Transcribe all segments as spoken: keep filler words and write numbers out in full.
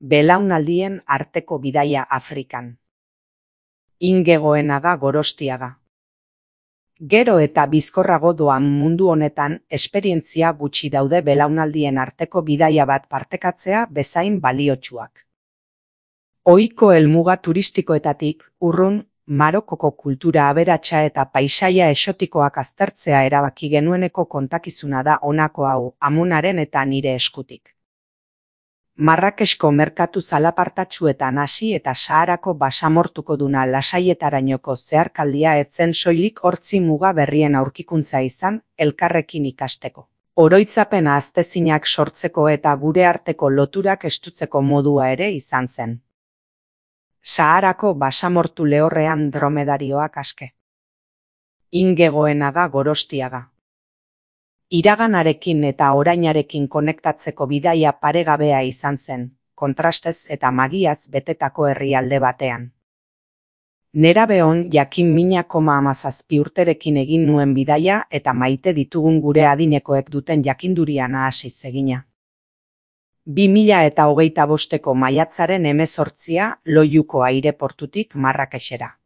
Belaunaldien arteko bidaia Afrikan. Inge Goenaga Gorostiaga. Gero eta bizkorrago doan mundu honetan esperientzia gutxi daude belaunaldien arteko bidaia bat partekatzea bezain baliotsuak. Ohiko helmuga turistikoetatik urrun Marokoko kultura aberatsa eta paisaia exotikoak aztertzea erabaki genueneko kontakizuna da honako hau, Amonaren eta nire eskutik. Marrakesko merkatu zalapartatsuetan hasi eta Saharako basamortuko duna lasaietarainoko zeharkaldia etzen soilik hortzi muga berrien aurkikuntza izan, elkarrekin ikasteko. Oroitzapena aztezinak sortzeko eta gure arteko loturak estutzeko modua ere izan zen. Saharako basamortu lehorrean dromedarioak aske. Inge Goenaga Gorostiaga. Iraganarekin eta orainarekin konektatzeko bidaia paregabea izan zen, kontrastez eta magiaz betetako herrialde batean. Nerabeon jakin mina koma hamazazpi urterekin egin nuen bidaia eta maite ditugun gure adinekoek duten jakindurian hasi egina. Bi mila eta hogeita bosteko maiatzaren hemezortzia Loiuko aireportutik Marrakesera.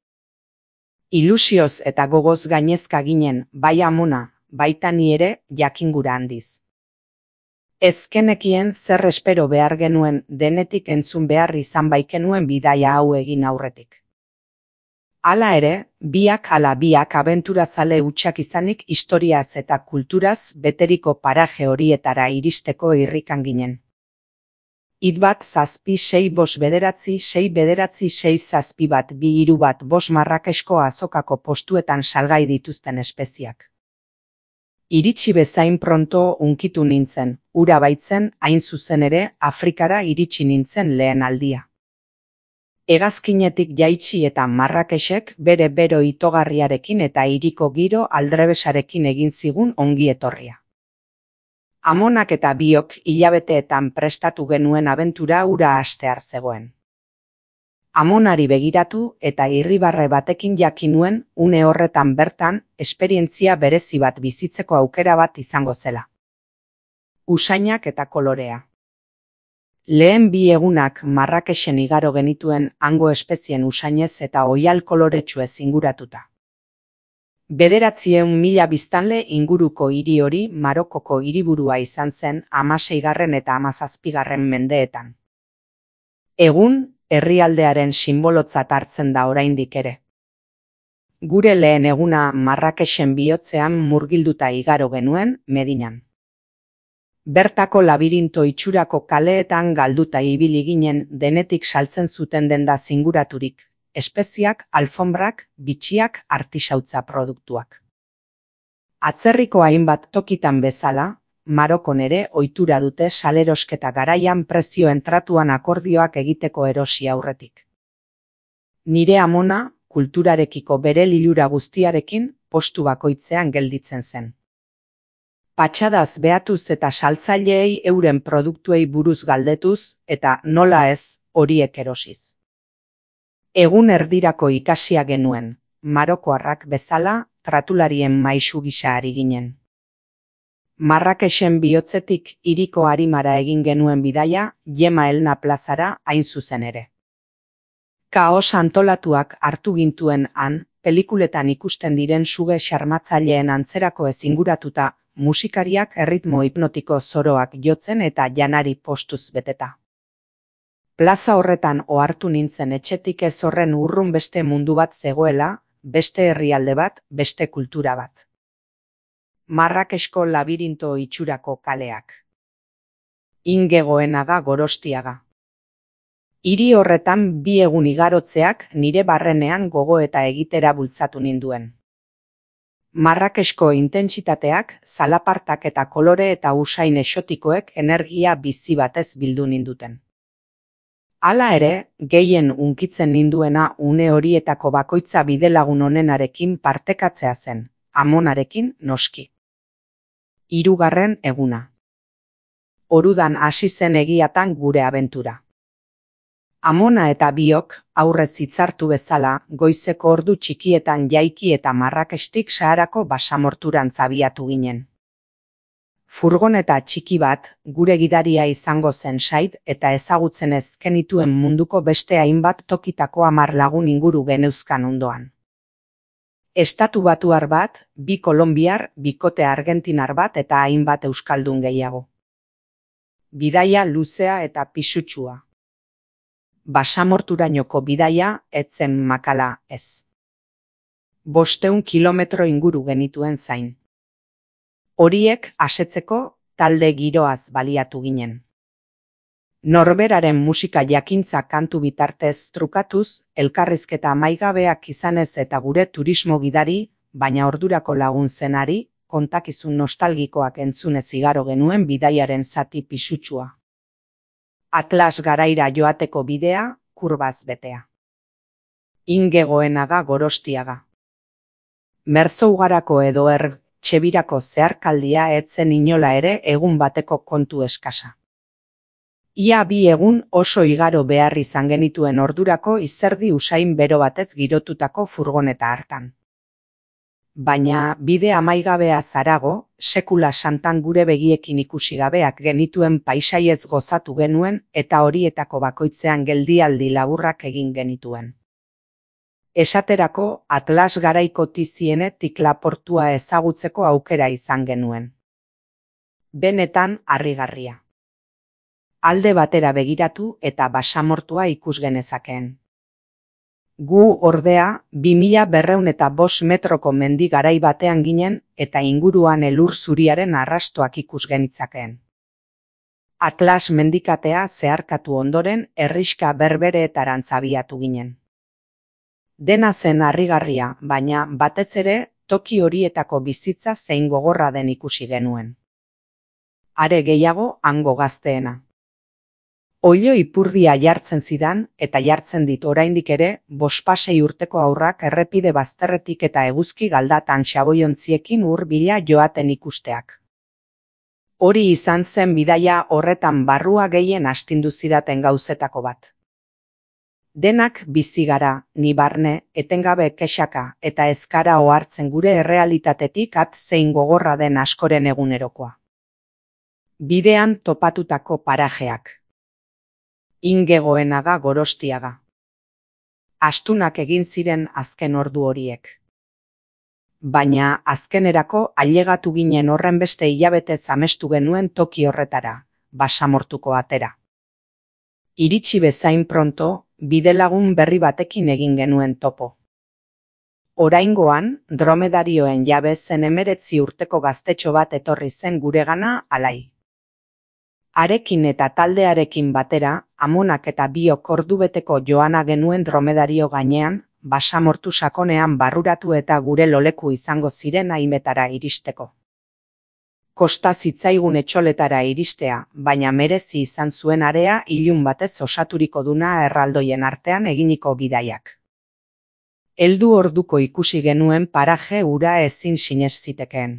Ilusioz eta gogoz gainezka ginen, bai Amona, baita ni ere jakingura handiz. Ezkenekien zer espero behar genuen denetik entzun behar izan baikenuen bidaia hau egin aurretik. Hala ere, biak ala biak abenturazale hutsak izanik historiaz eta kulturaz beteriko paraje horietara iristeko irrikan ginen. Hit bat zazpi sei bos bederatzi sei bederatzi sei zazpi bat bi hiru bat bos Marrakesko azokako postuetan salgai dituzten espeziak. Iritsi bezain pronto unkitu nintzen, ura baitzen hain zuzen ere Afrikara iritsi nintzen lehen aldia. Hegazkinetik jaitsi eta Marrakesek bere bero itogarriarekin eta hiriko giro aldrebesarekin egin zigun ongi etorria. Amonak eta biok hilabeteetan prestatu genuen abentura ura hastear zegoen. Amonari begiratu eta irribarre batekin jakin nuen une horretan bertan esperientzia berezi bat bizitzeko aukera bat izango zela. Usainak eta kolorea. Lehen bi egunak Marrakesen igaro genituen hango espezien usainez eta oihal koloretsuez inguratuta. Bederatzieun mila biztanle inguruko hiri hori Marokoko hiriburua izan zen hamaseigarren eta hamazazpigarren mendeetan. Egun, herrialdearen sinbolotzat hartzen da oraindik ere. Gure lehen eguna Marrakesen bihotzean murgilduta igaro genuen Medinan. Bertako labirinto itxurako kaleetan galduta ibili ginen denetik saltzen zuten denda zinguraturik, espeziak, alfombrak, bitxiak, artisautza produktuak. Atzerriko hainbat tokitan bezala, Marokon ere ohitura dute salerosketa garaian prezioen tratuan akordioak egiteko erosi aurretik. Nire Amona, kulturarekiko bere lilura guztiarekin postu bakoitzean gelditzen zen. Patxadaz behatuz eta saltzaileei euren produktuei buruz galdetuz eta nola ez horiek erosiz. Egun erdirako ikasia genuen, marokoarrak bezala tratularien maisu gisa ari ginen. Marrakesen bihotzetik hiriko arimara egin genuen bidaia Jema Elna plazara hain zuzen ere. Kaos antolatuak hartu gintuen han, pelikuletan ikusten diren suge xarmatzaileen antzerako ezinguratuta, musikariak erritmo hipnotiko zoroak jotzen eta janari postuz beteta. Plaza horretan ohartu nintzen etxetik ez horren urrun beste mundu bat zegoela, beste herrialde bat, beste kultura bat. Marrakesko labirinto itxurako kaleak. Inge Goenaga Gorostiaga. Hiri horretan bi egun igarotzeak nire barrenean gogoeta egitera bultzatu ninduen. Marrakesko intentsitateak, zalapartak eta kolore eta usain exotikoek energia bizi batez bildu ninduten. Hala ere, gehien unkitzen ninduena une horietako bakoitza bidelagun honenarekin partekatzea zen, Amonarekin noski. Hirugarren eguna. Orudan hasi zen egiatan gure abentura. Amona eta biok, aurrez hitzartu bezala, goizeko ordu txikietan jaiki eta Marrakestik Saharako basamorturantz abiatu ginen. Furgoneta txiki bat, gure gidaria izango zen Said eta ezagutzen ez genituen munduko beste hainbat tokitako hamar lagun inguru geneuzkan ondoan. Estatu batuar bat, bi kolonbiar, bikote argentinar bat eta hainbat euskaldun gehiago. Bidaia luzea eta pisutsua. Basamorturainoko bidaia etzen makala ez. Bosteun kilometro inguru genituen zain. Horiek asetzeko talde giroaz baliatu ginen. Norberaren musika jakintza kantu bitartez trukatuz, elkarrizketa amaigabeak izanez eta gure turismo gidari, baina ordurako lagun zenari, kontakizun nostalgikoak entzunez igaro genuen bidaiaren zati pisutsua. Atlas garaira joateko bidea, kurbaz betea. Inge Goenaga Gorostiaga. Merzougarako edo er txebirako zeharkaldia etzen inola ere egun bateko kontu eskasa. Ia bi egun oso igaro behar izan genituen ordurako izerdi usain bero batez girotutako furgoneta hartan. Baina bide amaigabea zarago, sekula santan gure begiekin ikusi gabeak genituen paisaiez gozatu genuen eta horietako bakoitzean geldialdi laburrak egin genituen. Esaterako Atlas garaiko tizienetik laportua ezagutzeko aukera izan genuen. Benetan harrigarria. Alde batera begiratu eta basamortua ikus genezakeen. Gu ordea, bi mila berrehun eta bost metroko mendi garai batean ginen eta inguruan elur zuriaren arrastoak ikus genitzakeen. Atlas mendikatea zeharkatu ondoren herrixka berbereetarantz abiatu ginen. Dena zen harrigarria, baina batez ere toki horietako bizitza zein gogorra den ikusi genuen. Are gehiago hango gazteena. Oilo ipurdia jartzen zidan eta jartzen dit oraindik ere bospasei urteko aurrak errepide bazterretik eta eguzki galdatan xaboiontziekin hurbila joaten ikusteak. Hori izan zen bidaia horretan barrua gehien astindu zidaten gauzetako bat. Denak bizi gara, ni barne, etengabe kexaka eta ezkara ohartzen gure errealitatetik at zein gogorra den askoren egunerokoa. Bidean topatutako parajeak. Inge Goenaga Gorostiaga. Astunak egin ziren azken ordu horiek. Baina azkenerako ailegatu ginen horren beste hilabetez amestu genuen toki horretara, basamortuko atera. Iritsi bezain pronto, bidelagun berri batekin egin genuen topo. Oraingoan, dromedarioen jabe zen emeretzi urteko gaztetxo bat etorri zen guregana alai. Arekin eta taldearekin batera, amonak eta biok ordubeteko joana genuen dromedario gainean, basamortu sakonean barruratu eta gure loleku izango ziren haimetara iristeko. Kosta zitzaigun etxoletara iristea, baina merezi izan zuen area ilun batez osaturiko duna erraldoien artean eginiko bidaiak. Heldu orduko ikusi genuen paraje ura ezin sinez zitekeen.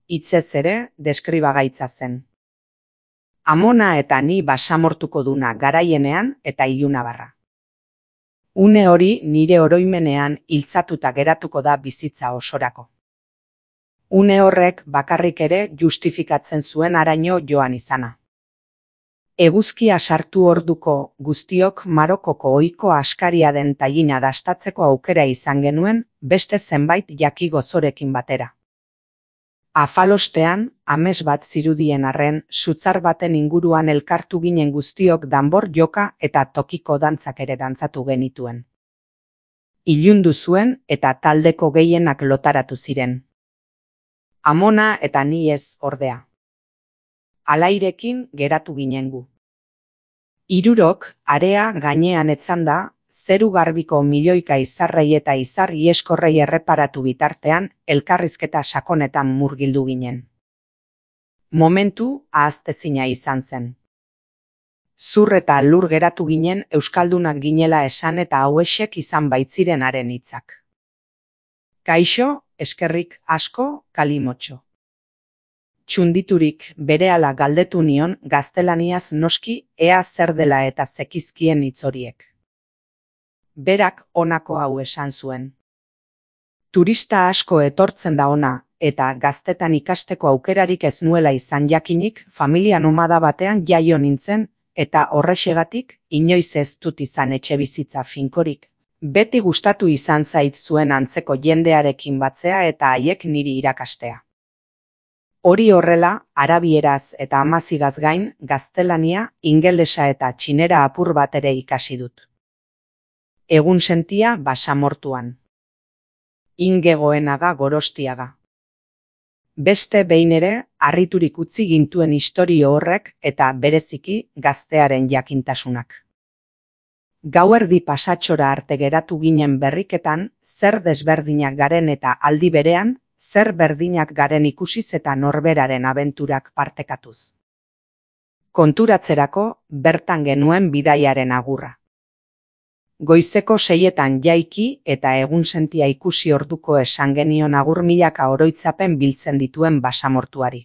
Hitzez ere, deskribagaitza zen. Amona eta ni basamortuko duna garaienean eta ilunabarra. Une hori nire oroimenean hiltzatuta geratuko da bizitza osorako. Une horrek bakarrik ere justifikatzen zuen haraino joan izana. Eguzkia sartu orduko guztiok Marokoko ohiko askaria den tailina dastatzeko aukera izan genuen beste zenbait jaki gozorekin batera. Afalostean, ames bat zirudien arren, sutzar baten inguruan elkartu ginen guztiok danbor joka eta tokiko dantzak ere dantzatu genituen. Ilundu zuen eta taldeko gehienak lotaratu ziren. Amona eta ni ez ordea. Alairekin geratu ginen gu. Hirurok, area gainean etzanda, zeru garbiko milioika izarrei eta izar ieskorrei erreparatu bitartean, elkarrizketa sakonetan murgildu ginen. Momentu ahaztezina izan zen. Zur eta lur geratu ginen euskaldunak ginela esan eta hauexek izan baitziren haren hitzak. Kaixo, eskerrik asko, kalimotxo. Txunditurik berehala galdetu nion gaztelaniaz noski ea zer dela eta zekizkien hitz horiek. Berak honako hau esan zuen. Turista asko etortzen da ona, eta gaztetan ikasteko aukerarik ez nuela izan jakinik familia nomada batean jaio nintzen, eta horrexegatik inoiz ez dut izan etxe bizitza finkorik. Beti gustatu izan zait zuen antzeko jendearekin batzea eta haiek niri irakastea. Hori horrela, arabieraz eta amazigaz gain, gaztelania, ingelesa eta txinera apur bat ere ikasi dut. Egun sentia Basamortuan. Inge Goenaga Gorostiaga. Beste behin ere, harriturik utzi gintuen istorio horrek eta bereziki gaztearen jakintasunak. Gauerdi pasatxora arte geratu ginen berriketan, zer desberdinak garen eta aldi berean, zer berdinak garen ikusiz eta norberaren abenturak partekatuz. Konturatzerako, bertan genuen bidaiaren agurra. Goizeko seietan jaiki eta egun sentia ikusi orduko esan genion agur milaka oroitzapen biltzen dituen Basamortuari.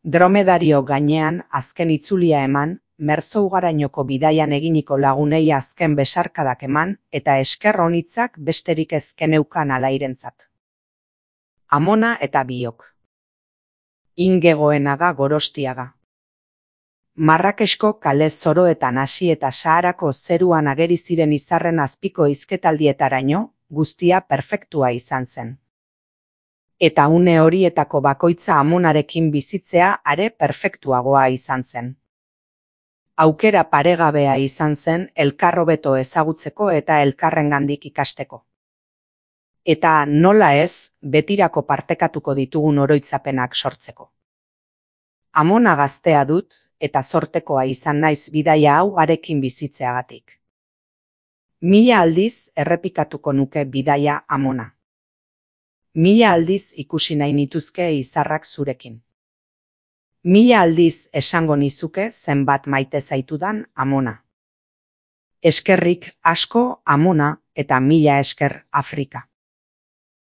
Dromedario gainean azken itzulia eman, Merzougarainoko bidaian eginiko lagunei azken besarkadak eman eta esker onitzak besterik ezkeneukan alairentzat. Amona eta biok. Inge Goenaga Gorostiaga. Marrakesko kale zoroetan hasi eta Saharako zeruan ageri ziren izarren azpiko hizketaldietaraino, guztia perfektua izan zen. Eta une horietako bakoitza amonarekin bizitzea are perfektuagoa izan zen. Aukera paregabea izan zen elkar hobeto ezagutzeko eta elkarrengandik ikasteko. Eta nola ez, betirako partekatuko ditugun oroitzapenak sortzeko. Amona gaztea dut, eta zortekoa izan naiz bidaia hau harekin bizitzeagatik. Mila aldiz errepikatuko nuke bidaia Amona. Mila aldiz ikusi nahi nituzke izarrak zurekin. Mila aldiz esango nizuke zenbat maite zaitudan Amona. Eskerrik asko Amona eta mila esker Afrika.